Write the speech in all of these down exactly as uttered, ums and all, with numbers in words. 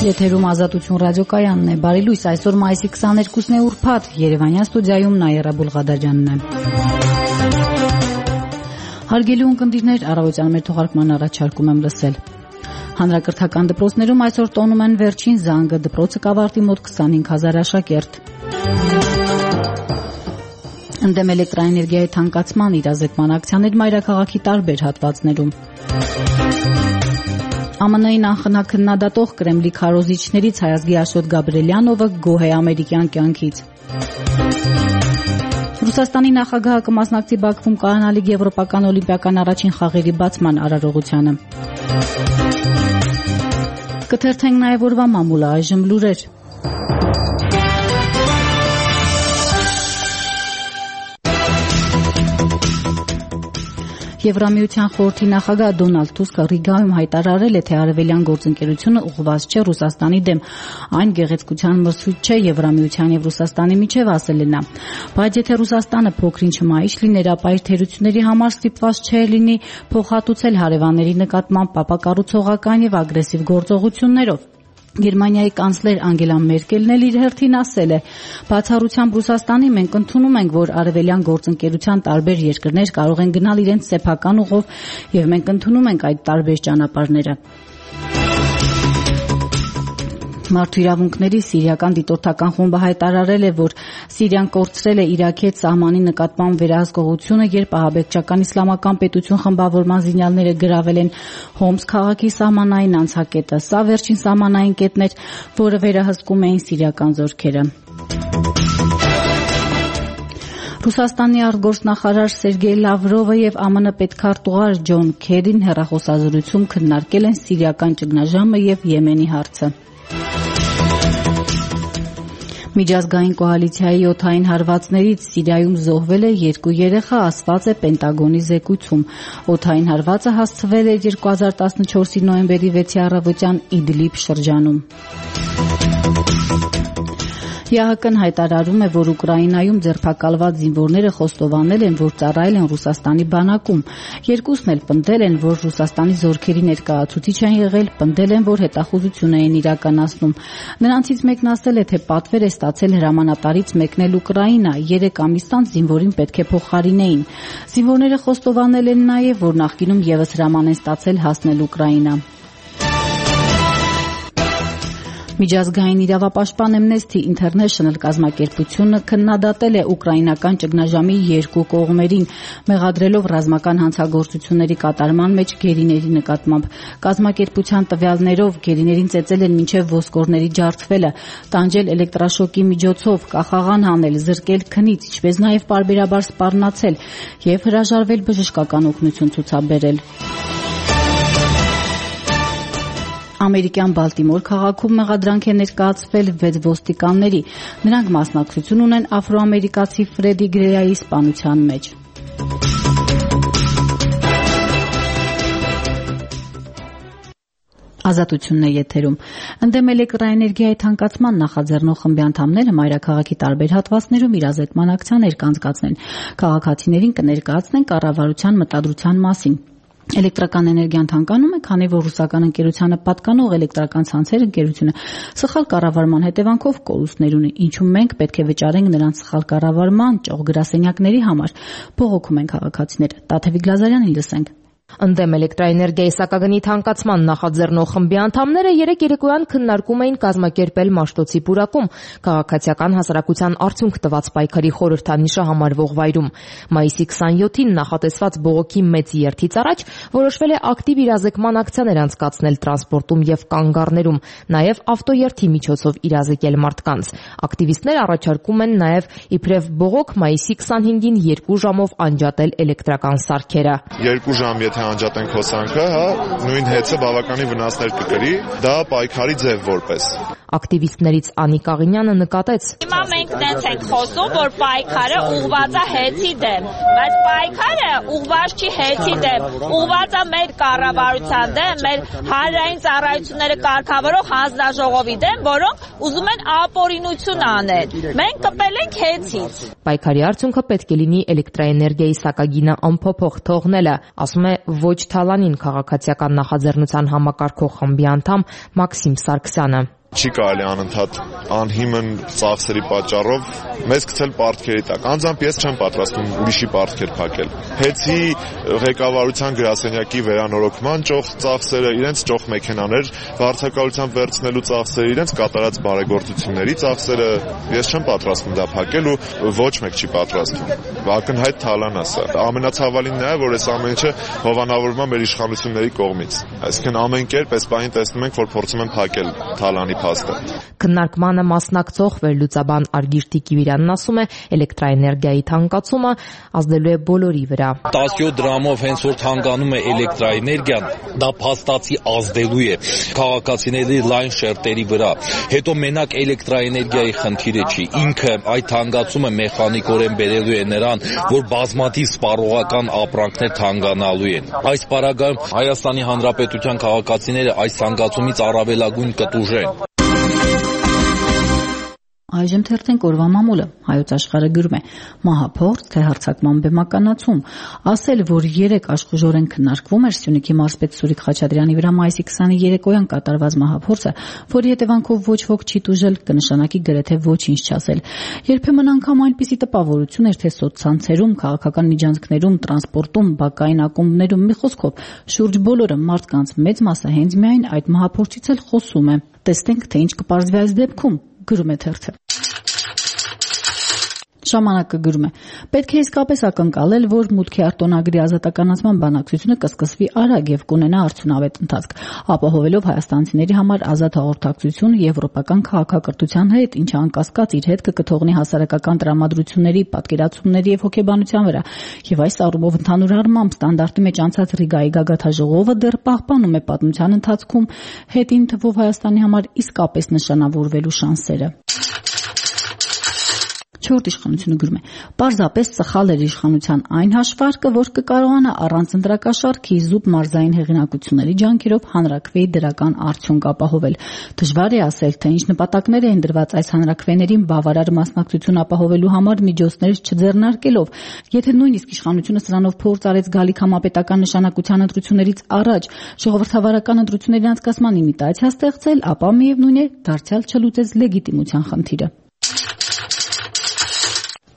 Եթերում Ազատություն ռադիոկայանն է, բարի լույս, այսօր մայիսի քսաներկուսն է ուրբաթ, Երևանյան ստուդիայում Նաիրա Բուլղադաջյանն է։ Հարգելի ունկնդիրներ, առավոտյան մեր թողարկման առաջարկում եմ լսել։ Հանրակրթական դպրոցներում այսօր տոնում են վերջին զանգը, դպրոցը կավարտի մոտ քսանհինգ հազար աշակերտ։ Ընդդեմ էլեկտրաէներգիայի թանկացման իրազեկման ակցիաներ մայրաքաղաքի տարբեր հատվածներում։ ԱՄՆ –ի նախնաքննադատող Կրեմլի քարոզիչներից Հայազգի Աշոտ Գաբրելյանովը գոհ է ամերիկյան կյանքից։ Ռուսաստանի նախագահը կմասնակցի Բաքվում կայանալիք եվրոպական օլիմպիական առաջին խաղերի բացման արարողությանը։ Կթերթենք նաև օրվա մամուլը, այժմ լուրեր։ Եվրամիության խորհրդի նախագահ Դոնալդ Տուսկը Ռիգայում հայտարարել է, թե արևելյան գործընկերությունը ուղղված չէ Ռուսաստանի դեմ, այն գեղեցկության մրցույթ չէ Եվրամիության եւ Ռուսաստանի միջև, ասել է նա։ Բայց եթե Ռուսաստանը փոքրինչ մայիշ լիներ, ապա իր թերությունների համար ստիպված չէ լինի փոխհատուցել հարևանների նկատմամբ ապակառուցողական եւ ագրեսիվ գործողություններով։ Գերմանիայի կանցլեր Անգելա Մերկելն էլ իր հերթին ասել է. «Բացառությամբ Ռուսաստանի մենք ընդունում ենք, որ արևելյան գործընկերության տարբեր երկրներ կարող են գնալ իրենց սեփական ուղով եւ մենք ընդունում ենք այդ տարբեր ճանապարհները»։ Մարդու իրավունքների սիրիական դիտորդական խումբը հայտարարել է, որ Սիրիան կորցրել է Իրաքի հետ սահմանի նկատմամբ վերահսկողությունը, երբ ահաբեկչական իսլամական պետություն խմբավորման զինյալները գրավել են Հոմս քաղաքի սահմանային անցակետը։ Սա վերջին սահմանային կետն էր, որը վերահսկում էին սիրիական զորքերը։ Ռուսաստանի արտգործնախարար Սերգեյ Լավրովը եւ ԱՄՆ պետքարտուղար Ջոն Քերին հեռախոսազրույցում քննարկել են սիրիական ճգնաժամը եւ Եմենի հարցը։ Միջազգային կոալիցիայի օդային հարվածներից Սիրիայում զոհվել է երկու երեխա, ասված է Պենտագոնի զեկույցում։ Օդային հարվածը հասցվել է երկու հազար տասնչորսի նոյեմբերի վեցի առավոտյան Իդլիբ շրջանում։ ԵԱՀԿ-ն հայտարարում է, որ Ուկրաինայում ձերբակալված զինվորները խոստովանել են, որ ծառայել են Ռուսաստանի բանակում։ Երկուսն էլ պնդել են, որ Ռուսաստանի զորքերի ներկայացուցիչ են եղել, պնդել են, որ հետախուզություն են իրականացնում։ Նրանցից մեկն ասել է, թե պատվեր է ստացել հրամանատարից մեկնել Ուկրաինա, երեք ամիս անց զինվորին պետք է փոխարինեին։ Զինվորները խոստովանել են նաև, որ նախկինում ևս հրաման են ստացել հասնել Ուկրաինա։ Միջազգային իրավապաշտպան Amnesty International կազմակերպությունը քննադատել է ուկրաինական ճգնաժամի երկու կողմերին, մեղադրելով ռազմական հանցագործությունների կատարման մեջ գերիների նկատմամբ։ Կազմակերպության տվյալներով գերիներին ծեծել են մինչև ոսկորների ջարդվելը, տանջել էլեկտրաշոկի միջոցով, կախաղան հանել, զրկել քնից, ինչպես նաև պարբերաբար սպառնացել եւ հրաժարվել բժշկական օգնություն ցուցաբերել։ Ամերիկյան Բալտիմոր քաղաքում մեղադրանք է ներկայացվել վեց ոստիկանների։ Նրանք մասնակցություն ունեն աֆրոամերիկացի Ֆրեդի Գրեայի սպանության մեջ։ Ազատությունն է եթերում։ Ընդդեմ էլեկտրաէներգիայի թանկացման նախաձեռնող խմբի անդամները մայրաքաղաքի տարբեր հատվածներում իրազեկման ակցիաներ կանցկացնեն։ Քաղաքացիներին կներկայացնեն կառավարության մտադրության մասին։ Էլեկտրական էներգիան թանկանում է, քանի որ ռուսական ընկերությանը պատկանող էլեկտրական ցանցեր ընկերությունը սխալ կառավարման հետևանքով կորուստներ ունի, ինչու մենք պետք է վճարենք նրանց սխալ կառավարման ճոխ գրասենյակների համար, բողոքում են քաղաքացիները։ Տաթևիկ Լազարյանին լսենք։ Ընդդեմ էլեկտրաէներգիայի սակագնի թանկացման նախաձեռնող խմբի անդամները երեկ երեկոյան քննարկում էին կազմակերպել Մաշտոցի պուրակում քաղաքացիական հասարակության արդյունք տված պայքարի խորհրդանիշը համարվող վայրում։ Մայիսի քսանյոթին նախատեսված բողոքի մեծ երթից առաջ որոշվել է ակտիվ իրազեկման ակցիաներ անցկացնել տրանսպորտում եւ կանգառներում, նաեւ ավտոերթի միջոցով իրազեկել մարդկանց։ Ակտիվիստներ առաջարկում են նաեւ իբրև բողոք մայիսի քսանհինգին երկու ժամով անջատել էլեկտրական սարքերը։ Երկու ժամ եթե անջատենք հոսանքը, հա, նույն հեծը բավականին վնասներ կկրի, դա պայքարի ձև որպես։ Ակտիվիստներից Անիկ Աղինյանը նկատեց. Հիմա մենք դες ենք խոսում, որ պայքարը ուղղված է հեծի դեմ, բայց պայքարը ուղղված չի հեծի դեմ, ուղղված է մեր կառավարության դեմ, մեր հանրային ծառայությունները կարգավորող հանձնաժողովի դեմ, որոնք ուզում են ապօրինություն անել։ Մենք կպել ենք հեծից։ Պայքարի արդյունքը պետք է լինի էլեկտրաէներգիայի սակագինը անփոփոխ թողնելը, ասում է Ոչ Թալանին քաղաքացիական նախաձեռնության համակարգող խմբի անդամ Մաքսիմ Սարգսյանը։ Չի կարելի անընդհատ անհիմն ծախսերի պատճառով մեզ գցել պարտքերի տակ։ Անձամբ ես չեմ պատրաստվում ուրիշի պարտքեր փակել։ Հեցի ղեկավարության գրասենյակի վերանորոգման ճոխ ծախսերը, իրենց ճոխ մեքենաներ վարձակալությամբ վերցնելու ծախսերը, իրենց կատարած բարեգործությունների ծախսերը ես չեմ պատրաստվում դա փակել ու ոչ մեկ չի պատրաստվում։ Ակնհայտ թալան է սա։ Ամենացավալին նա է, որ այս ամեն ինչը հովանավորվում է մեր իշխանությունների կողմից։ Այսինքն ամեն կերպ այս պահին տեսնում ենք, որ փորձում են փակել թալանի փաստը։ Քննարկմանը մասնակցող վերլուծաբան Արգիշ Տիկիվիրանն ասում է, էլեկտրաէներգիայի թանկացումը ազդելու է բոլորի վրա։ տասնյոթ դրամով հենց որ թանկանում է էլեկտրաէներգիան, դա փաստացի ազդելու է քաղաքացիների լայն շերտերի վրա։ Հետո մենակ էլեկտրաէներգիայի խնդիրը չի, ինքը այդ թանկացումը մեխանիկորեն բերելու է նրան, որ բազմաթիվ սպառողական ապրանքներ թանկանալու են։ Այս պարագայում Հայաստանի Հանրապետության քաղաքացիները այս թանկացումից առավելագույն կտուժեն։ Այժմ թերթենք օրվա մամուլը։ Հայոց աշխարհը գրում է. մահափորձ թե հարձակման բեմականացում։ Ասել, որ երեք աշխուժորեն քննարկվում էր Սյունիքի մարզպետ Սուրիկ Խաչատրյանի վրա մայիսի քսաներեքոյան կատարված մահափորձը, որի հետևանքով ոչ ոք չի տուժել, կնշանակի գրեթե ոչինչ չասել։ Երբեմն անգամ այնպիսի տպավորություն էր, թե սոցցանցերում, քաղաքական միջանցքներում, տրանսպորտում, բակային ակումբներում, մի խոսքով, շուրջ բոլորը մարդկանց մեծ մասը հենց միայն այդ մահափորձից էլ խոսում է։ Տեսնենք, թե ինչ կպարզվի այս դեպքում, գրում է թերթը։ Ժամանակը գրում է. պետք է իսկապես ակնկալել, որ մուտքի արտոնագրի ազատականացման բանակցությունը կսկսվի արագ եւ կունենա արդյունավետ ընթացք, ապահովելով հայաստանցիների համար ազատ հաղորդակցություն եվրոպական քաղաքակրթության հետ, ինչը անկասկած իր հետ կկթողնի հասարակական տրամադրությունների, պատկերացումների եւ հոգեբանության վրա։ Եվ այս առումով ընդհանուր առմամբ ստանդարտի մեջ անցած Ռիգայի գագաթաժողովը դեռ պահպանում է պատմության ընթացքում հետին թվով Հայաստանի համար իսկապես նշանավորվելու շանսերը։ Չորրորդ իշխանությունը գրում է. պարզապես սխալ էր իշխանության այն հաշվարկը, որ կկարողանա առանց ընտրակաշառքի զուտ մարզային հեղինակությունների ջանքերով հանրաքվեի դրական արդյունք ապահովել։ Դժվար է ասել, թե ինչ նպատակներ էին դրված այս հանրաքվեներին բավարար մասնակցություն ապահովելու համար միջոցներ չձեռնարկելով։ Եթե նույնիսկ իշխանությունը սրանով փորձ արեց գալիք համապետական նշանակության ընտրություններից առաջ ժողովրդավարական ընտրությունների անցկացման իմիտացիա ստեղծել, ապա միևնույն է դարձյալ չլուծեց լեգիտիմության խնդիրը։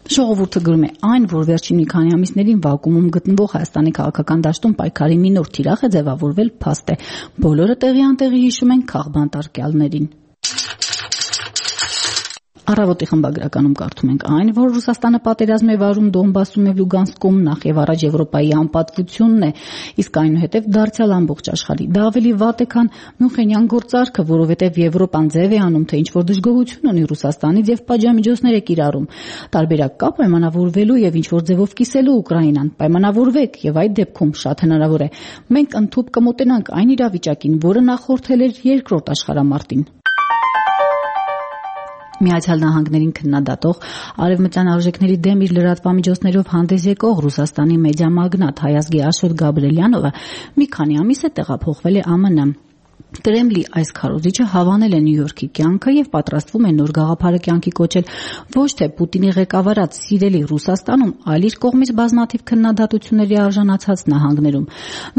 Ժողովուրդը գրում է. այն, որ վերջին մի քանի ամիսներին վակուումում գտնվող Հայաստանի քաղաքական դաշտում պայքարի մի նոր թիրախ է ձևավորվել, փաստ է։ Բոլորը տեղի անտեղի հիշում են քաղբան տարկյալներին։ Առավոտի խմբագրականում կարդում ենք այն, որ Ռուսաստանը պատերազմ է վարում Դոնբասում եւ Լուգանսկում, նախ եւ առաջ Եվրոպայի անպատվությունն է, իսկ այնուհետեւ դարձյալ ամբողջ աշխարհի։ Դա ավելի վատ է, քան Մյունխենյան գործարքը, որովհետեւ Եվրոպան ձև է անում, թե ինչ որ դժգոհություն ունի Ռուսաստանից եւ պատժամիջոցներ է կիրառում։ Տարբերակ կա պայմանավորվելու եւ ինչ որ ձևով կիսելու Ուկրաինան։ Պայմանավորվեք եւ այդ դեպքում շատ հնարավոր է մենք ընդཐུպ կմոտենանք այն իրավիճակին, որը նախորդել էր երկրորդ աշխարհամարտին։ Միացյալ Նահանգներին քննադատող արևմտյան արժեքների դեմ իր լրատվամիջոցներով հանդես եկող Ռուսաստանի մեդիա մագնատ հայազգի Աշոտ Գաբրելյանովը մի քանի ամիս է տեղափոխվել է ԱՄՆ։ Կրեմլի այս քարոզիչը հավանել է Նյու Յորքի կյանքը եւ պատրաստվում է նոր գաղափարը կյանքի կոչել ոչ թե Պուտինի ղեկավարած սիրելի Ռուսաստանում, այլ իր կողմից բազմաթիվ քննադատությունների արժանացած նահանգներում։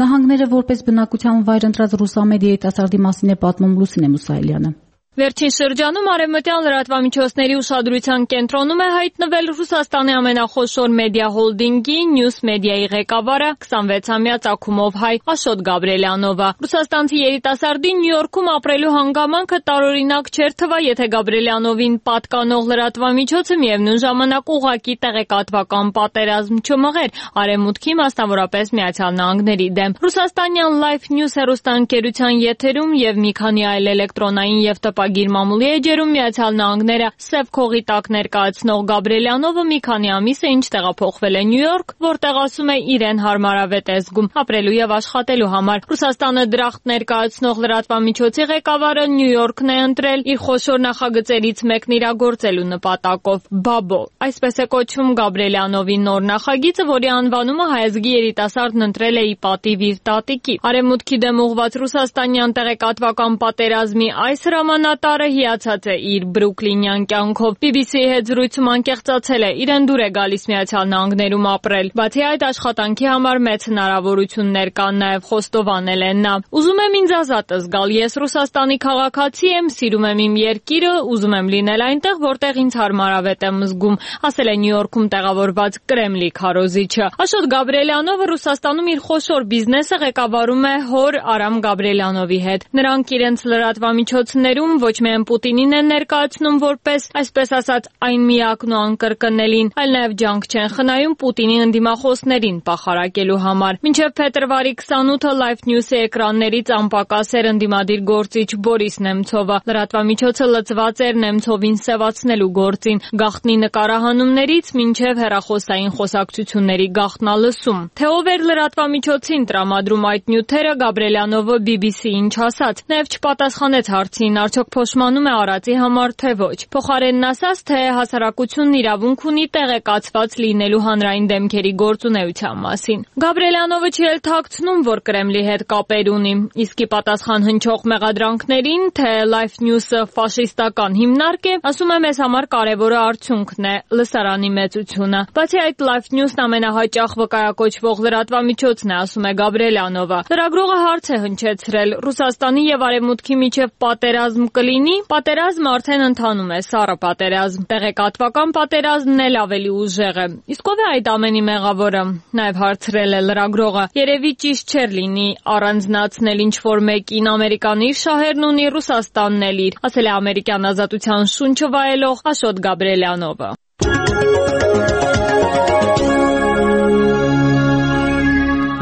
Նահանգները որպես բնակության վայր ընտրած ռուսամեդիա երիտասարդի մասին է պատմում Լուսինե Մուսայելյանը։ Վերջին շրջանում արևմտյան լրատվամիջոցների ուշադրության կենտրոնում է հայտնվել Ռուսաստանի ամենախոշոր մեդիա հոլդինգի Նյուս մեդիայի ղեկավարը քսանվեցամյա ծագումով հայ Աշոտ Գաբրելյանովը։ Ռուսաստանցի երիտասարդի Նյու Յորքում ապրելու հանգամանքը տարօրինակ չէր թվա, եթե Գաբրելյանովին պատկանող լրատվամիջոցը միևնույն ժամանակ ուղղակի տեղեկատվական պատերազմ չմղեր Արևմուտքի, մասնավորապես Միացյալ Նահանգների դեմ։ Ռուսաստանյան Life News հեռուստաընկերության եթերում եւ մի քանի այլ էլեկտրոնային եւ տպագիր մամուլի էջերում Միացյալ Նահանգները սև քողի տակ ներկայացնող Գաբրելյանովը մի քանի ամիս է ինչ տեղափոխվել է Նյու Յորք, որտեղ ասում է իրեն հարմարավետ է զգում ապրելու եւ աշխատելու համար։ Ռուսաստանը դրախտ ներկայացնող լրատվամիջոցի ղեկավարը Նյու Յորքն է ընտրել իր խոշոր նախագծերից մեկն իրագործելու նպատակով։ Բաբո, այսպես է կոչվում Գաբրելյանովի նոր նախագիծը, որի անվանումը հայազգի երիտասարդն ընտրել է ի պատիվ իր տատիկի։ Արևմուտքի դեմ ուղղված ռուսաստանյան տեղեկատվական պատերազմի այս հրամանատարը հնարատարը հիացած է իր բրուկլինյան կյանքով։ բի բի սի-ի հետ զրույցում անկեղծացել է, իրեն դուր է գալիս Միացյալ Նահանգներում ապրել։ Բացի այդ, աշխատանքի համար մեծ հնարավորություններ կան, նաև խոստովանել է նա։ Ուզում եմ ինձ ազատ զգալ, ես Ռուսաստանի քաղաքացի եմ, սիրում եմ իմ երկիրը, ուզում եմ լինել այնտեղ, որտեղ ինձ հարմարավետ եմ զգում, ասել է Նյու Յորքում տեղավորված Կրեմլի քարոզիչը։ Աշոտ Գաբրիելյանովը Ռուսաստանում իր խոշոր բիզնեսը ղեկավարում է հոր Արամ Գաբրիելյանովի հետ։ Նրանք իրենց լրատվամիջոցներում ոչ միայն Պուտինին են ներկայացնում որպես, այսպես ասած, այն միակն ու անկրկնելին, այլ նաև ջանք չեն խնայում Պուտինի ընդդիմախոսներին պախարակելու համար։ Մինչև փետրվարի քսանութը Live News-ի էկրաններից անպակաս էր ընդդիմադիր գործիչ Բորիս Նեմցովը։ Լրատվամիջոցը լծված էր Նեմցովին սևացնելու գործին, գաղտնի նկարահանումներից մինչև հեռախոսային խոսակցությունների գաղտնալսում։ Թե ով էր լրատվամիջոցին տրամադրում այդ նյութերը, Գաբրիելյանովը բի բի սի-ին չասաց, նաև չպատասխանեց հարցին, արդյոք փոշմանում է Արարատի համար, թե ոչ։ Փոխարենն ասաց, թե հասարակությունն իրավունք ունի տեղեկացված լինելու հանրային դեմքերի գործունեության մասին։ Գաբրիելյանովը չի էլ թաքցնում, որ Կրեմլի հետ կապեր ունի, իսկ ի պատասխան հնչող մեղադրանքներին, թե Live News-ը ֆաշիստական հիմնարկ է, ասում է, մեզ համար կարևորը արդյունքն է, լսարանի մեծությունը։ Բացի այդ, Live News-ն ամենահաճախ վկայակոչվող լրատվամիջոցն է, ասում է Գաբրիելյանովը։ Լրագրողը հարց է հնչեցրել. Ռուսաստանի եւ Արևմուտքի միջև պատերազմ կլինի։ Պատերազմը արդեն ընթանում է, սառը պատերազմ։ Տեղեկատվական պատերազմն էլ ավելի ուժեղ է։ Իսկ ով է այդ ամենի մեղավորը։ Նաև հարցրել է լրագրողը. երևի ճիշտ չէր լինի առանձնացնել ինչ-որ մեկին, Ամերիկան իր շահերն ունի, Ռուսաստանն էլ իր, ասել է ամերիկյան ազատության շունչը վայելող Աշոտ Գաբրիելյանովը։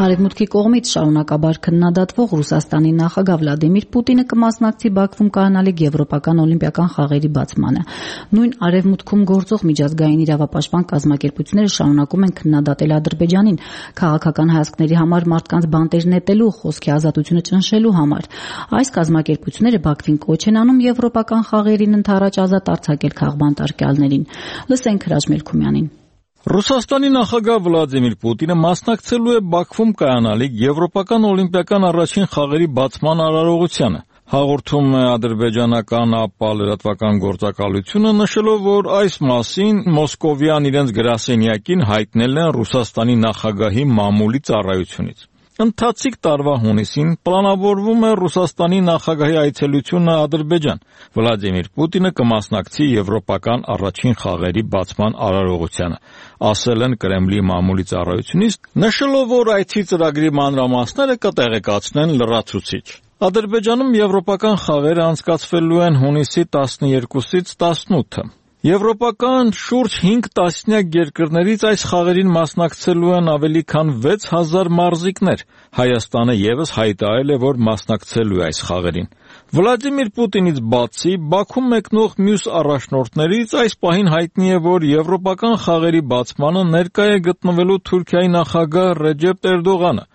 Արևմուտքի կողմից շարունակաբար քննադատվող Ռուսաստանի նախագահ Վլադիմիր Պուտինը կմասնակցի Բաքվում կայանալիք Եվրոպական օլիմպիական խաղերի բացմանը։ Նույն Արևմուտքում գործող միջազգային իրավապաշտպան կազմակերպությունները շարունակում են քննադատել Ադրբեջանին քաղաքական հայացքների համար մարդկանց բանտեր նետելու, խոսքի ազատությունը ճնշելու համար։ Այս կազմակերպությունները Բաքվին կոչ են անում Եվրոպական խաղերին ընդառաջ ազատ արձակել քաղբանտարկյալներին։ Լսենք Հրաչ Մելքումյանին։ Ռուսաստանի նախագահ Վլադիմիր Պուտինը մասնակցելու է Բաքվում կայանալիք Եվրոպական օլիմպիական առաջին խաղերի բացման արարողությանը։ Հաղորդում է ադրբեջանական ԱՊԱ լրատվական գործակալությունը, նշելով, որ այս մասին Մոսկովյան իրենց գրասենյակին հայտնել են Ռուսաստանի նախագահի մամուլի ծառայությունից։ Ընթացիկ տարվա հունիսին պլանավորվում է Ռուսաստանի նախագահի այցելությունը Ադրբեջան։ Վլադիմիր Պուտինը կմասնակցի Եվրոպական առաջին խաղերի բացման արարողությանը, ասել են Կրեմլի մամուլի ծառայությունից, նշելով, որ այցի ծրագրի մանրամասները կտեղեկացնեն լրացուցիչ։ Ադրբեջանում Եվրոպական խաղերը անցկացվելու են հունիսի տասներկուսից տասնութը։ Եվրոպական շուրջ հինգ տասնյակ երկրներից այս խաղերին մասնակցելու են ավելի քան վեց հազար մարզիկներ։ Հայաստանը ևս հայտարարել է, որ մասնակցելու է այս խաղերին։ Վլադիմիր Պուտինից բացի Բաքվում մեկնող մյուս առաջնորդներից այս պահին հայտնի է, որ Եվրոպական խաղերի բացմանը ներկա է գտնվելու Թուրքիայի նախագահ Ռեջեփ Էրդողանը։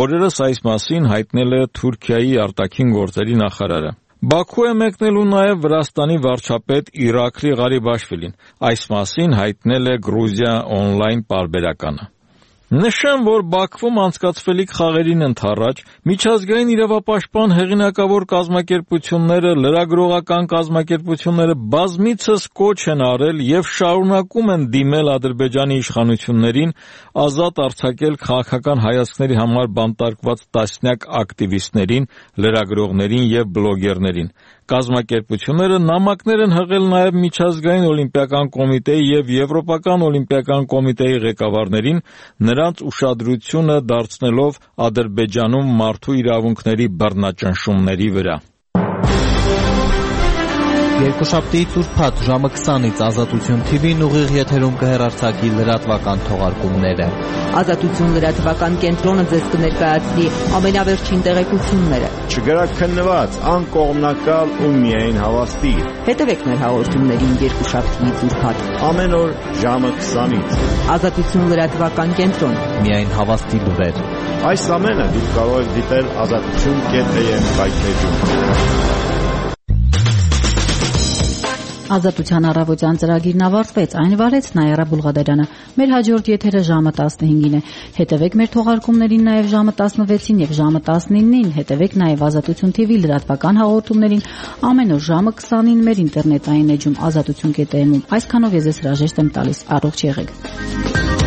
Օրերս այս մասին հայտնել է Թուրքիայի արտաքին գործերի նախարարը։ Բաքու է մեկնելու նաև Վրաստանի վարչապետ Իրաքլի Ղարիբաշվիլին։ Այս մասին հայտնել է Գրուզիա օնլայն պարբերականը։ Նշեմ, որ Բաքվում անցկացվելիք խաղերին ընդառաջ միջազգային իրավապաշտպան հեղինակավոր կազմակերպությունները, լրագրողական կազմակերպությունները բազմիցս կոչ են արել եւ շարունակում են դիմել Ադրբեջանի իշխանություններին ազատ արձակել քաղաքական հայացքների համար բանտարկված տասնյակ ակտիվիստներին, լրագրողներին եւ բլոգերներին։ Կազմակերպությունները նամակներ են հղել նաև Միջազգային օլիմպիական կոմիտեի եւ Եվրոպական օլիմպիական կոմիտեի ղեկավարներին, նրանց ուշադրությունը դարձնելով Ադրբեջանում մարդու իրավունքների բռնաճնշումների վրա։ Երկուշաբթի ուրբաթ ժամը քսանից Ազատություն թի վին ուղիղ եթերում կհեռարձակի լրատվական թողարկումները։ Ազատություն լրատվական կենտրոնը ձեզ կներկայացնի ամենավերջին տեղեկությունները։ Չգրակ քննված, անկողմնակալ ու միայն հավաստի։ Հետևեք մեր հաղորդումներին երկուշաբթիից ուրբաթ ամեն օր ժամը քսանից։ Ազատություն լրատվական կենտրոն։ Միայն հավաստի լուրեր։ Այս ամենը դուք կարող եք դիտել ազատություն կետ է եմ կայքեջում։ Ազատության առավոտյան ծրագիրն ավարտվեց, այն վարեց Նայիրա Բուլղադարյանը։ Մեր հաջորդ եթերը ժամը տասնհինգին է։ Հետևեք մեր թողարկումներին նաև ժամը տասնվեցին եւ ժամը տասնինին։ Հետևեք նաև Ազատություն թի վի լրատվական հաղորդումներին ամեն օր ժամը քսանին մեր ինտերնետային էջում ազատություն կետ էմ-ում։ Այսքանով ես ձեզ հրաժեշտ եմ տալիս։ Առողջ եղեք։